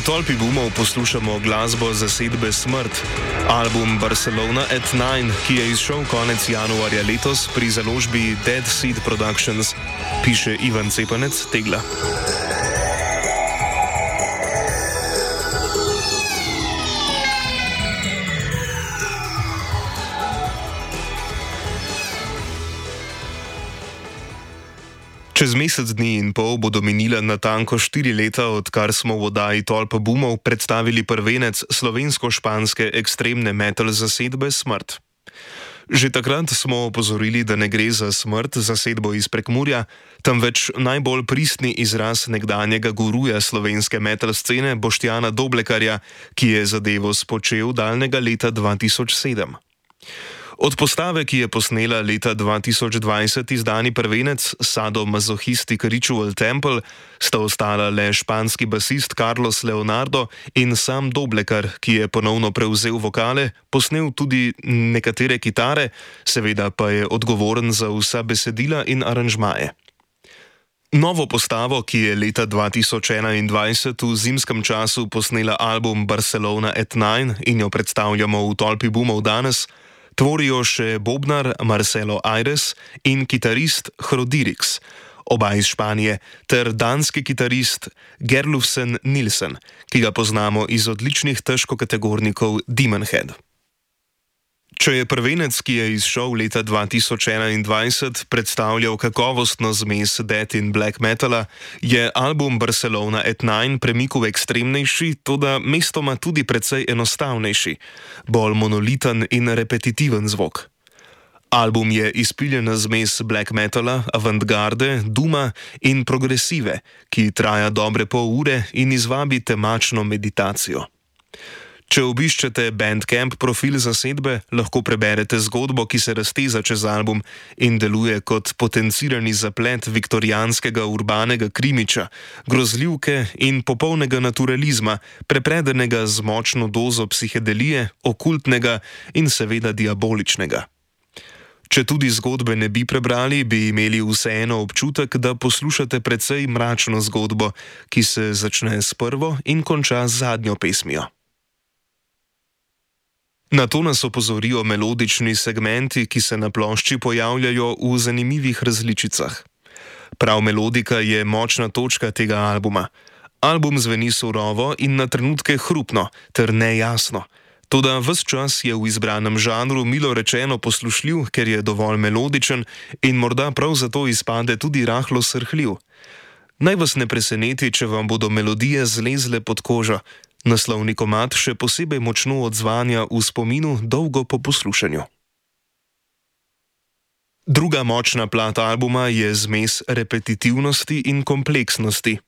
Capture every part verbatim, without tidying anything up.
Tolpi Boomov poslušamo glasbo zasedbe Smrt, album Barcelona at Nine, ki je izšel konec januarja letos pri založbi Dead Seed Productions, piše Ivan Cepanec Tegla. Čez mesec dni in pol bodo minila natanko štiri leta, odkar smo v oddaji Tolpa Boomov predstavili prvenec slovensko-španske ekstremne metal zasedbe Smrt. Že takrat smo opozorili, da ne gre za Smrt, zasedbo iz Prekmurja, temveč najbolj pristni izraz nekdanjega guruja slovenske metal scene Boštjana Doblekarja, ki je zadevo spočel daljnega leta dva tisoč sedem. Od postave, ki je posnela leta dva tisoč dvajset izdani prvenec Sadomasochistic Ritual Temple, sta ostala le španski basist Carlos Leonardo in sam Doblekar, ki je ponovno prevzel vokale, posnel tudi nekatere kitare, seveda pa je odgovoren za vsa besedila in aranžmaje. Novo postavo, ki je leta dva tisoč enaindvajset v zimskem času posnela album Barcelona at Nine in jo predstavljamo v Tolpi Boomov danes, tvorijo še bobnar Marcelo Aires in kitarist Hrodirix, oba iz Španije, ter danski kitarist Gerlufsen Nilsen, ki ga poznamo iz odličnih težkokategornikov Demon Head. Če je prvenec, ki je izšel leta dva tisoč enaindvajset, predstavljal kakovostno zmes death in black metala, je album Barcelona at Nine premik v ekstremnejši, toda mestoma tudi precej enostavnejši, bolj monoliten in repetitiven zvok. Album je izpiljena zmes black metala, avantgarde, duma in progresive, ki traja dobre pol ure in izvabi temačno meditacijo. Če obiščete Bandcamp profil zasedbe, lahko preberete zgodbo, ki se razteza čez album in deluje kot potencirani zaplet viktorijanskega urbanega krimiča, grozljivke in popolnega naturalizma, prepredenega z močno dozo psihedelije, okultnega in seveda diaboličnega. Če tudi zgodbe ne bi prebrali, bi imeli vseeno občutek, da poslušate precej mračno zgodbo, ki se začne s prvo in konča z zadnjo pesmijo. Na to nas opozorijo melodični segmenti, ki se na plošči pojavljajo v zanimivih različicah. Prav melodika je močna točka tega albuma. Album zveni surovo in na trenutke hrupno ter nejasno. Toda ves čas je v izbranem žanru milo rečeno poslušljiv, ker je dovolj melodičen in morda prav zato izpade tudi rahlo srhljiv. Naj vas ne preseneti, če vam bodo melodije zlezle pod kožo. Naslovni komad še posebej močno odzvanja v spominu dolgo po poslušanju. Druga močna plat albuma je zmes repetitivnosti in kompleksnosti.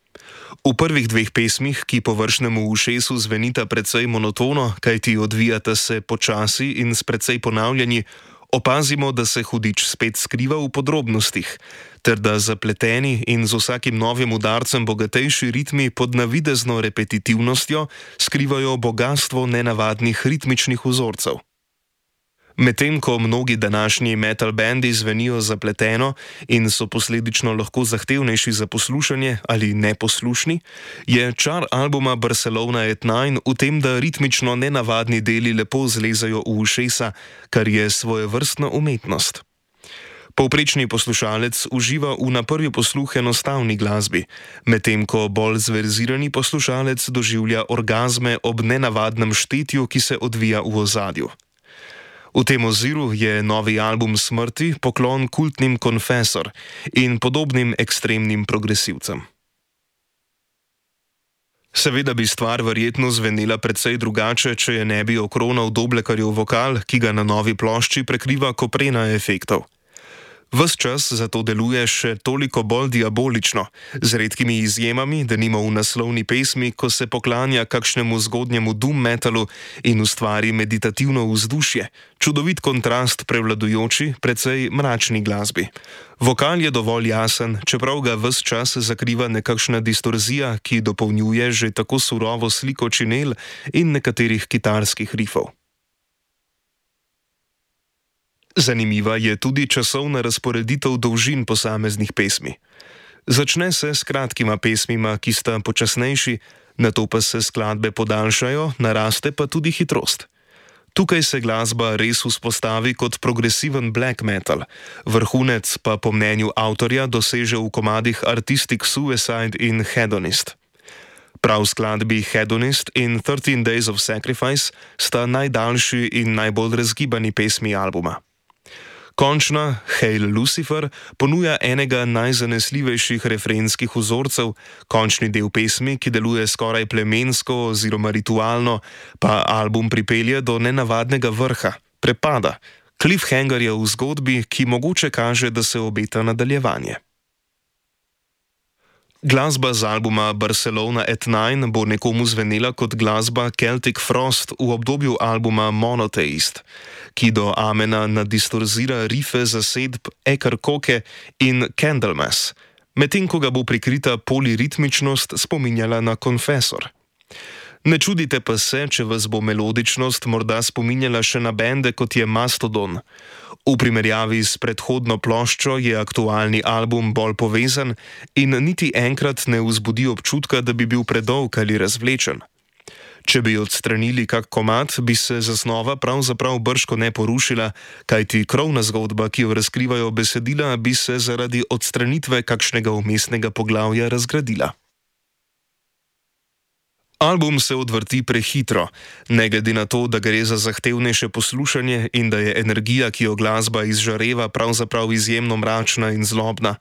V prvih dveh pesmih, ki površnemu ušesu zvenita precej monotono, kajti odvijata se počasi in s precej ponavljanji, opazimo, da se hudič spet skriva v podrobnostih, ter da zapleteni in z vsakim novim udarcem bogatejši ritmi pod navidezno repetitivnostjo skrivajo bogastvo nenavadnih ritmičnih vzorcev. Medtem ko mnogi današnji metal bendi zvenijo zapleteno in so posledično lahko zahtevnejši za poslušanje ali neposlušni, je čar albuma Barcelona at Nine v tem, da ritmično nenavadni deli lepo zlezajo v ušesa, kar je svojevrstna umetnost. Povprečni poslušalec uživa v na prvi posluh enostavni glasbi, medtem ko bolj zverzirani poslušalec doživlja orgazme ob nenavadnem štetju, ki se odvija v ozadju. V tem oziru je novi album Smrti poklon kultnim Confessor in podobnim ekstremnim progresivcem. Seveda bi stvar verjetno zvenela precej drugače, če je ne bi okronal Doblekarjev vokal, ki ga na novi plošči prekriva koprena efektov. Ves čas zato deluje še toliko bolj diabolično, z redkimi izjemami, denimo v naslovni pesmi, ko se poklanja kakšnemu zgodnjemu doom metalu in ustvari meditativno vzdušje, čudovit kontrast prevladujoči, precej mračni glasbi. Vokal je dovolj jasen, čeprav ga ves čas zakriva nekakšna distorzija, ki dopolnjuje že tako surovo sliko činel in nekaterih kitarskih rifov. Zanimiva je tudi časovna razporeditev dolžin posameznih pesmi. Začne se s kratkima pesmima, ki sta počasnejši, Nato pa se skladbe podaljšajo, naraste pa tudi hitrost. Tukaj se glasba res vzpostavi kot progresiven black metal, vrhunec pa po mnenju avtorja doseže v komadih Artistic Suicide in Hedonist. Prav skladbi Hedonist in thirteen Days of Sacrifice sta najdaljši in najbolj razgibani pesmi albuma. Končna, Hail Lucifer, ponuja enega najzanesljivejših refrenskih vzorcev, končni del pesmi, ki deluje skoraj plemensko oziroma ritualno, pa album pripelje do nenavadnega vrha, prepada, cliffhangerja v zgodbi, ki mogoče kaže, da se obeta nadaljevanje. Glasba z albuma Barcelona at Nine bo nekomu zvenela kot glasba Celtic Frost v obdobju albuma Monotheist, ki do amena nadistorzira rife zasedb Ekar Koke in Candlemass, medtem ko ga bo prikrita poliritmičnost spominjala na Confessor. Ne čudite pa se, če vas bo melodičnost morda spominjala še na bende kot je Mastodon. V primerjavi s predhodno ploščo je aktualni album bolj povezan in niti enkrat ne vzbudi občutka, da bi bil predolg ali razvlečen. Če bi odstranili kak komad, bi se zasnova pravzaprav brško ne porušila, kajti krovna zgodba, ki jo razkrivajo besedila, bi se zaradi odstranitve kakšnega vmesnega poglavja razgradila. Album se odvrti prehitro, ne glede na to, da gre za zahtevnejše poslušanje in da je energija, ki jo glasba izžareva, pravzaprav izjemno mračna in zlobna.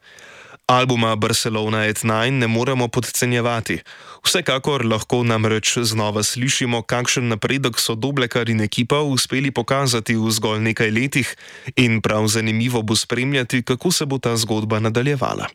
Albuma Barcelona at Nine ne moremo podcenjevati. Vsekakor lahko namreč znova slišimo, kakšen napredek so Doblekar in ekipa uspeli pokazati v zgolj nekaj letih in prav zanimivo bo spremljati, kako se bo ta zgodba nadaljevala.